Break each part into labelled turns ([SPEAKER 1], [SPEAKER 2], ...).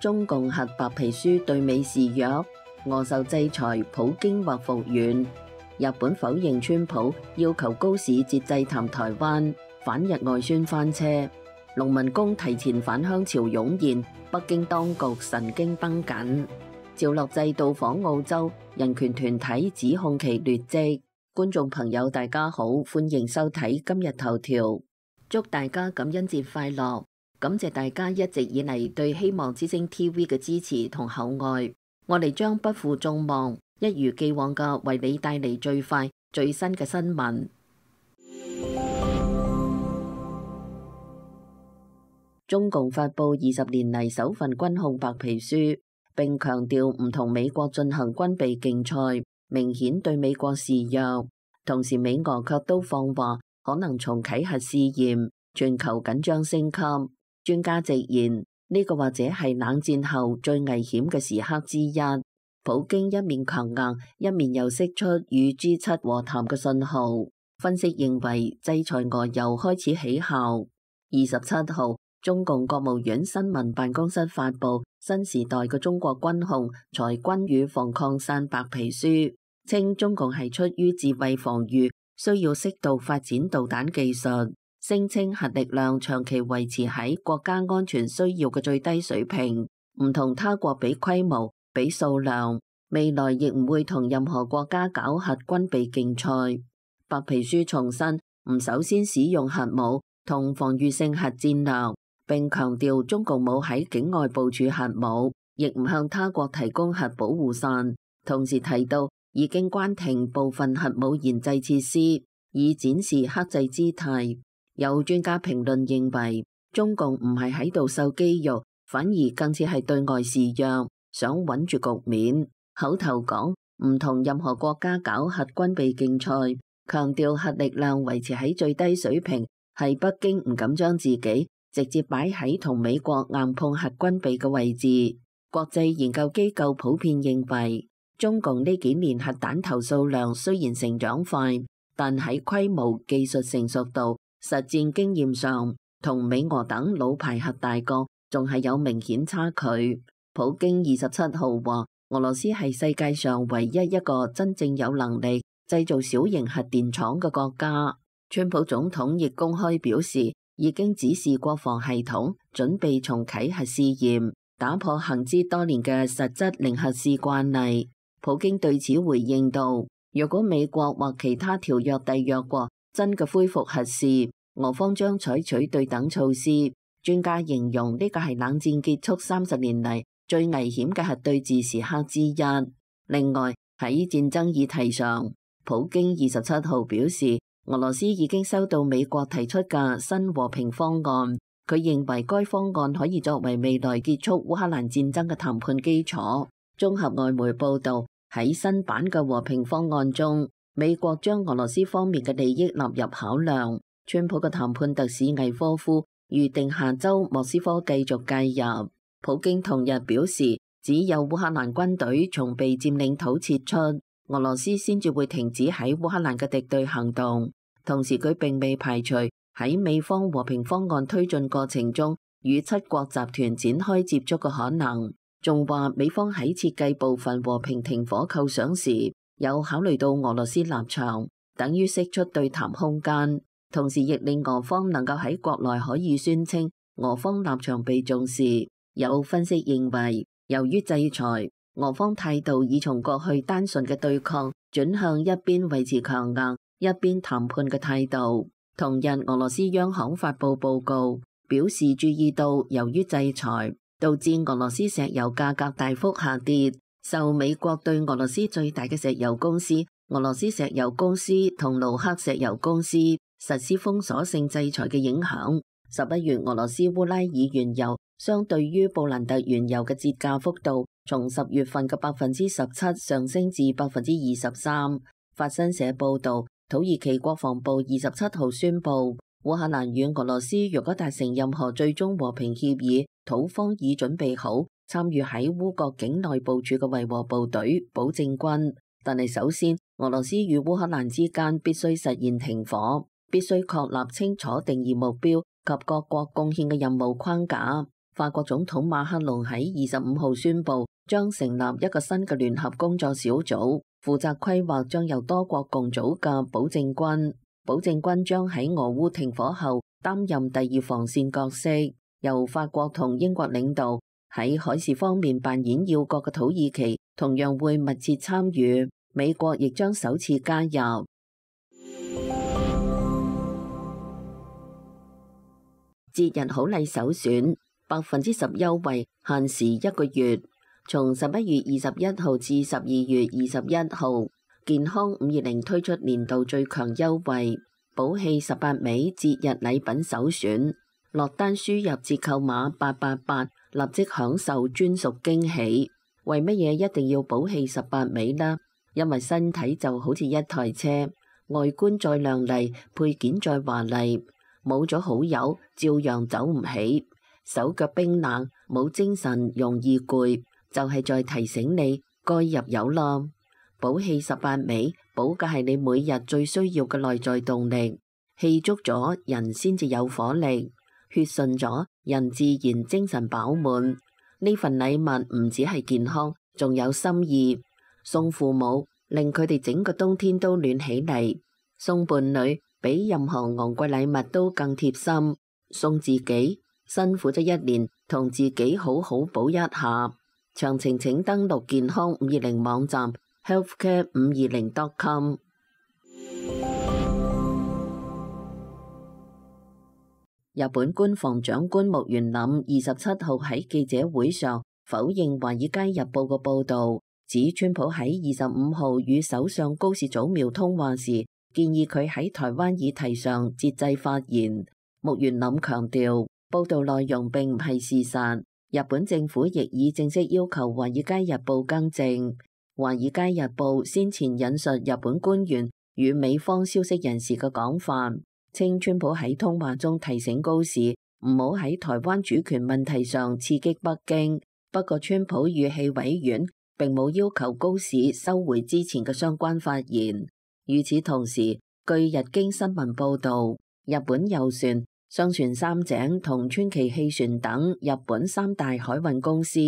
[SPEAKER 1] 中共核白皮書對美示弱，俄受制裁，普京或復原。日本否認川普要求高市節制談台灣，反日外宣翻車。農民工提前返鄉潮湧現，北京當局神經繃緊。趙樂際到訪澳洲，人權團體指控其劣跡。觀眾朋友大家好，歡迎收睇今日頭條，祝大家感恩節快樂！感謝大家一直以嚟對希望之聲 TV 嘅支持同厚愛，我哋將不負眾望，一如既往嘅為你帶嚟最快最新嘅新聞。中共發佈20年嚟首份軍控白皮書，並強調唔同美國進行軍備競賽，明顯對美國示弱。同時美俄卻都放話可能重啟核試驗，全球緊張升級。專家直言，呢個或者係冷戰後最危險嘅時刻之一。普京一面強硬，一面又釋出與 G7 和談嘅信號。分析認為，制裁俄又開始起效。27號，中共國務院新聞辦公室發佈新時代嘅中國軍控裁軍與防擴散白皮書，稱中共係出於自衛防禦，需要適度發展導彈技術。聲稱核力量長期維持喺國家安全需要嘅最低水平，唔同他國比規模、比數量，未來亦唔會同任何國家搞核軍備競賽。白皮書重申唔首先使用核武同防禦性核戰略，並強調中共冇喺境外部署核武，亦唔向他國提供核保護傘。同時提到已經關停部分核武研製設施，以展示克制姿態。有專家評論認為，中共唔係喺度秀肌肉，反而更似係對外示弱，想穩住局面。口頭講唔同任何國家搞核軍備競賽，強調核力量維持喺最低水平，係北京唔敢將自己直接擺喺同美國硬碰核軍備嘅位置。國際研究機構普遍認為，中共呢幾年核彈頭數量雖然成長快，但喺規模、技術成熟度、實戰經驗上，同美俄等老牌核大國仲係有明顯差距。普京27號話，俄羅斯係世界上唯一一個真正有能力製造小型核電廠嘅國家。川普總統亦公開表示，已經指示國防系統準備重啟核試驗，打破行之多年嘅實質零核試慣例。普京對此回應道，如果美國或其他條約締約國真嘅恢復核試，俄方將採取對等措施。專家形容呢個係冷戰結束30年嚟最危險嘅核對峙時刻之一。另外喺戰爭議題上，普京27號表示，俄羅斯已經收到美國提出嘅新和平方案，佢認為該方案可以作為未來結束烏克蘭戰爭嘅談判基礎。綜合外媒報道，喺新版嘅和平方案中，美國將俄羅斯方面嘅利益納入考量。川普嘅談判特使魏科夫預定下周莫斯科繼續介入。普京同日表示，只有烏克蘭軍隊從被佔領土撤出，俄羅斯先至會停止喺烏克蘭嘅敵對行動。同時佢並未排除喺美方和平方案推進過程中與七國集團展開接觸嘅可能。仲話美方喺設計部分和平停火構想時，有考慮到俄羅斯立場，等於釋出對談空間。同時亦令俄方能夠喺國內可以宣稱俄方立場被重視。有分析認為，由於制裁，俄方態度已從過去單純嘅對抗轉向一邊維持強硬、一邊談判嘅態度。同日，俄羅斯央行發布報告，表示注意到由於制裁，導致俄羅斯石油價格大幅下跌，受美國對俄羅斯最大嘅石油公司俄羅斯石油公司同盧克石油公司實施封鎖性制裁嘅影響。11月俄羅斯烏拉爾原油相對於布蘭特原油嘅折價幅度從10月份嘅17%上升至23%。法新社報道，土耳其國防部27號宣布，烏克蘭與俄羅斯若果達成任何最終和平協議，土方已準備好參與喺烏國境內部署嘅維和部隊、保證軍。但係首先，俄羅斯與烏克蘭之間必須實現停火，必須確立清楚定義目標及各國貢獻嘅任務框架。法國總統馬克龍喺25號宣布，將成立一個新嘅聯合工作小組，負責規劃將由多國共組嘅保證軍。保證軍將喺俄烏停火後擔任第二防線角色，由法國同英國領導。喺海事方面扮演要角嘅土耳其同樣會密切參與，美國亦將首次加入。節日好禮首選，10%優惠，限時1個月，從11月21號至12月21號，健康520推出年度最強優惠，寶氣18味節日禮品首選，落單輸入折扣碼888，立即享受專屬驚喜。為乜嘢一定要寶氣18味呢？因為身體就好似一台車，外觀再亮麗，配件再華麗，冇咗好友照樣走唔起，手腳冰冷，冇精神，容易攰，就係在提醒你該入油啦。寶氣18味，補嘅係你每日最需要嘅內在動力，氣足咗人先至有火力，血順咗人自然精神飽滿。呢份禮物唔只係健康，仲有心意。送父母，令佢哋整個冬天都暖起嚟；送伴侶，比任何昂貴禮物都更貼心；送自己，辛苦咗一年，同自己好好補一下。詳情請登錄健康520網站 healthcare520.com。日本官房長官木原稔27號喺記者會上否認《華爾街日報》嘅報導，指川普喺25號與首相高市早苗通話時，建議佢喺台灣議題上節制發言。木原稔強調，報導內容並唔係事實。日本政府亦已正式要求《華爾街日報》更正。《華爾街日報》先前引述日本官員與美方消息人士嘅講法，稱川普喺通話中提醒高市唔好喺台灣主權問題上刺激北京。不過川普語氣委婉，並冇要求高市收回之前嘅相關發言。與此同時，據日經新聞報導，日本郵船、上船三井同川崎汽船等日本3大海運公司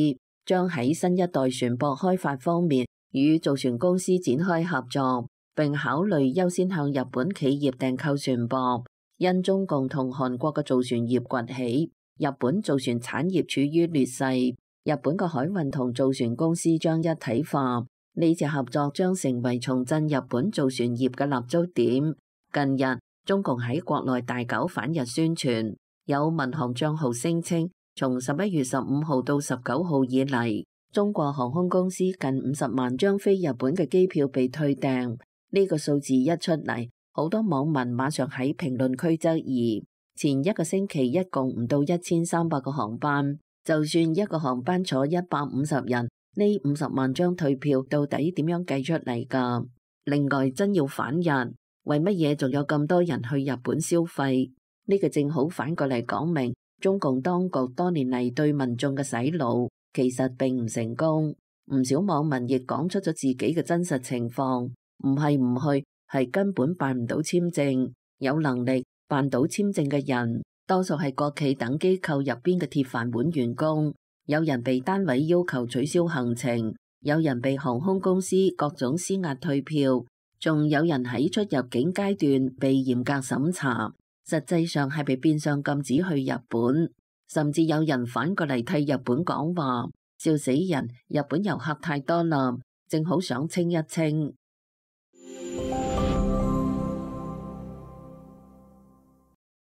[SPEAKER 1] 將喺新一代船舶開發方面與造船公司展開合作，並考慮優先向日本企業訂購船舶。因中共同韓國嘅造船業崛起，日本造船產業處於劣勢，日本嘅海運同造船公司將一體化。呢次合作將成為重振日本造船業嘅立足點。近日，中共喺國內大搞反日宣傳，有民航帳號聲稱，從11月15號到19號以嚟，中國航空公司近50萬張飛日本嘅機票被退訂。呢個數字一出嚟，好多網民馬上喺評論區質疑，前一個星期一共唔到1300個航班，就算一個航班坐150人，呢50萬張退票到底點樣計出嚟㗎？另外，真要反日，為乜嘢仲有咁多人去日本消費？呢個正好反過嚟講明，中共當局多年嚟對民眾嘅洗腦其實並唔成功。唔少網民亦講出咗自己嘅真實情況，唔係唔去，係根本辦唔到簽證。有能力辦到簽證嘅人，多數係國企等機構入邊嘅鐵飯碗員工。有人被單位要求取消行程，有人被航空公司各種施壓退票，仲有人喺出入境階段被嚴格審查，實際上係被變相禁止去日本。甚至有人反過嚟替日本講話，笑死人！日本遊客太多啦，正好想清一清。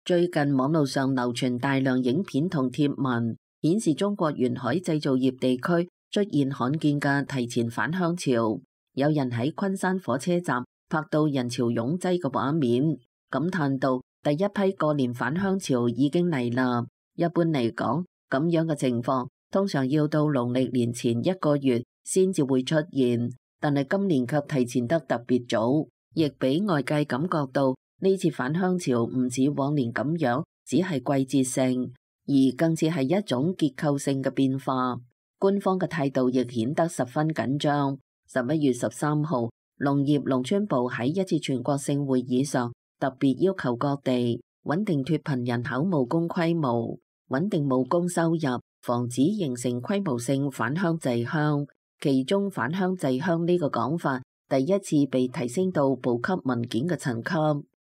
[SPEAKER 1] 最近網路上流傳大量影片同貼文，顯示中國沿海製造業地區出現罕見嘅提前返鄉潮。有人喺昆山火車站拍到人潮擁擠嘅畫面，感嘆到第一批過年返鄉潮已經嚟啦。一般嚟講，咁樣嘅情況通常要到農曆年前1個月先至會出現，但係今年卻提前得特別早，亦俾外界感覺到呢次返鄉潮唔似往年咁樣，只係季節性，而更似係一種結構性嘅變化。官方嘅態度亦顯得十分緊張。11月13號，農業農村部喺一次全國性會議上特別要求各地穩定脫貧人口務工規模。穩定務工收入，防止形成規模性返鄉滯鄉。其中返鄉滯鄉呢個講法第一次被提升到部級文件嘅層級。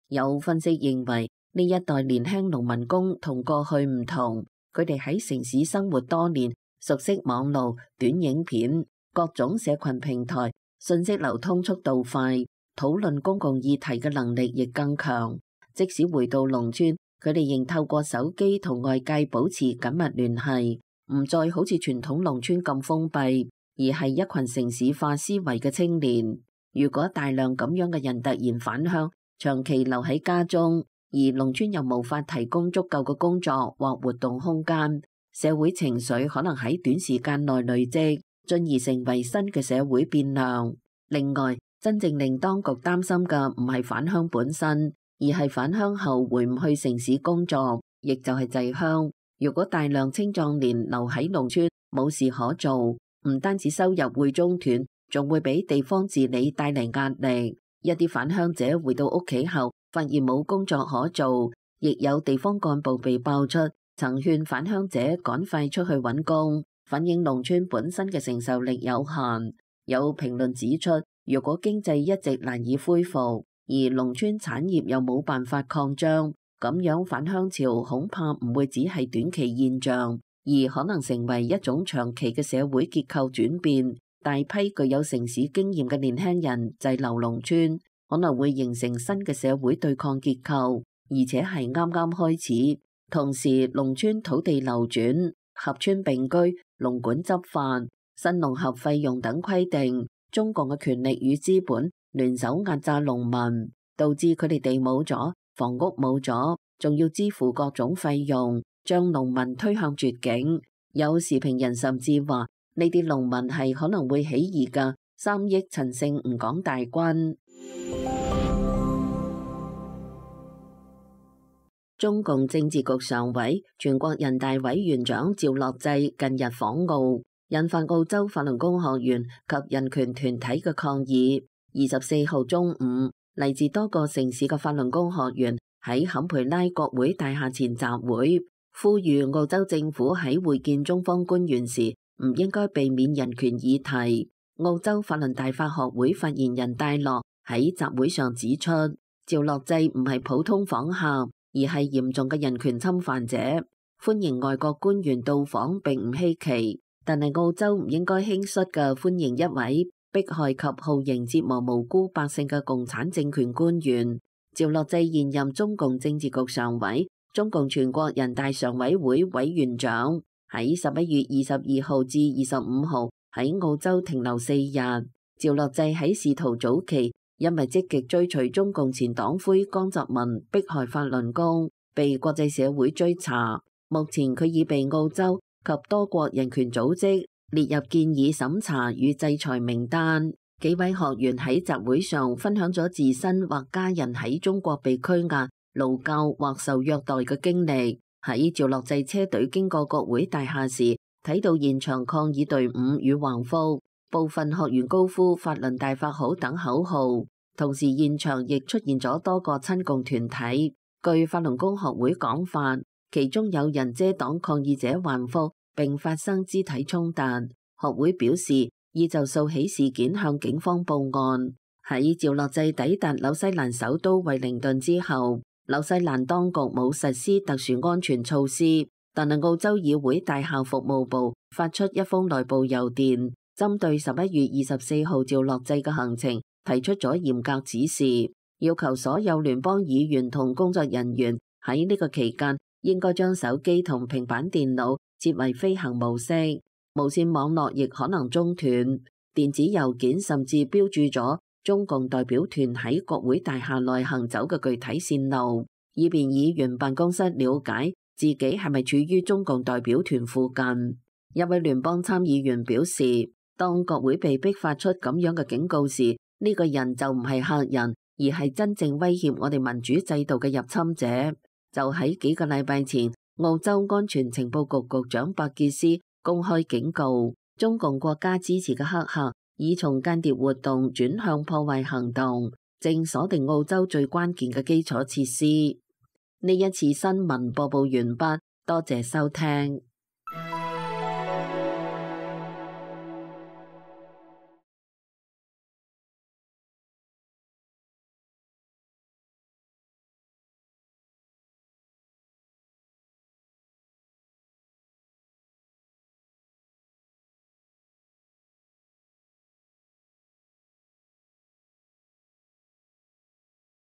[SPEAKER 1] 有分析認為，呢一代年輕農民工同過去唔同，佢哋喺城市生活多年，熟悉網路、短影片、各種社群平台，信息流通速度快，討論公共議題嘅能力亦更強。即使回到農村，佢哋仍透過手機同外界保持緊密聯繫，唔再好似傳統農村咁封閉，而係一群城市化思維嘅青年。如果大量咁樣嘅人突然返鄉，長期留喺家中，而農村又無法提供足夠嘅工作或活動空間，社會情緒可能喺短時間內累積，進而成為新嘅社會變量。另外，真正令當局擔心嘅唔係返鄉本身，而係返鄉後回唔去城市工作，亦就係滯鄉。如果大量青壯年留喺農村冇事可做，唔單止收入會中斷，仲會俾地方治理帶嚟壓力。一啲返鄉者回到屋企後，發現冇工作可做，亦有地方幹部被爆出曾勸返鄉者趕快出去揾工，反映農村本身嘅承受力有限。有評論指出，如果經濟一直難以恢復，而農村產業又冇辦法擴張，咁樣返鄉潮恐怕唔會只係短期現象，而可能成為一種長期嘅社會結構轉變。大批具有城市經驗嘅年輕人滯留農村，可能會形成新嘅社會對抗結構，而且係啱啱開始。同時，農村土地流轉、合村並居、農管執法、新農合費用等規定，中共嘅權力與資本聯手壓榨農民，導致佢哋地冇咗，房屋冇咗，仲要支付各種費用，將農民推向絕境。有時評人甚至話，呢啲農民係可能會起義嘅3億陳姓吳廣大軍。中共政治局常委、全國人大委員長趙樂際近日訪澳，引發澳洲法輪功學員及人權團體嘅抗議。24號中午，嚟自多個城市嘅法輪功學員喺坎培拉國會大廈前集會，呼籲澳洲政府喺會見中方官員時唔應該避免人權議題。澳洲法輪大法學會發言人戴樂喺集會上指出，趙樂際唔係普通訪客，而係嚴重嘅人權侵犯者。歡迎外國官員到訪並唔稀奇，但係澳洲唔應該輕率嘅歡迎一位迫害及酷刑折磨無辜百姓嘅共產政權官員。趙樂際現任中共政治局常委、中共全國人大常委會委員長。喺11月22號至25號喺澳洲停留4日。趙樂際喺仕途早期因為積極追隨中共前黨魁江澤民迫害法輪功，被國際社會追查。目前佢已被澳洲及多國人權組織列入建議審查與制裁名單。幾位學員喺集會上分享咗自身或家人喺中國被拘押、勞教或受虐待嘅經歷。喺趙樂際車隊經過國會大廈時，睇到現場抗議隊伍與橫幅，部分學員高呼法輪大法好等口號。同時現場亦出現咗多個親共團體。據法輪功學會講法，其中有人遮擋抗議者橫幅並發生肢體衝突。學會表示已就訴起事件向警方報案。喺趙樂際抵達紐西蘭首都惠靈頓之後，紐西蘭當局冇實施特殊安全措施，但係澳洲議會大校服務部發出一封內部郵電，針對11月24號趙樂際嘅行程提出咗嚴格指示，要求所有聯邦議員同工作人員喺呢個期間應該將手機同平板電腦設為飛行模式，無線網絡亦可能中斷，電子郵件甚至標註咗中共代表團喺國會大廈內行走嘅具體線路，以便議員辦公室了解自己係咪處於中共代表團附近。一位聯邦參議員表示，當國會被迫發出咁樣嘅警告時，呢個人就唔係客人，而係真正威脅我哋民主制度嘅入侵者。就喺幾個禮拜前，澳洲安全情報局局長伯傑斯公開警告，中共國家支持嘅黑客已從間諜活動轉向破壞行動，正鎖定澳洲最關鍵嘅基礎設施。呢一次新聞播報完畢，多謝收聽。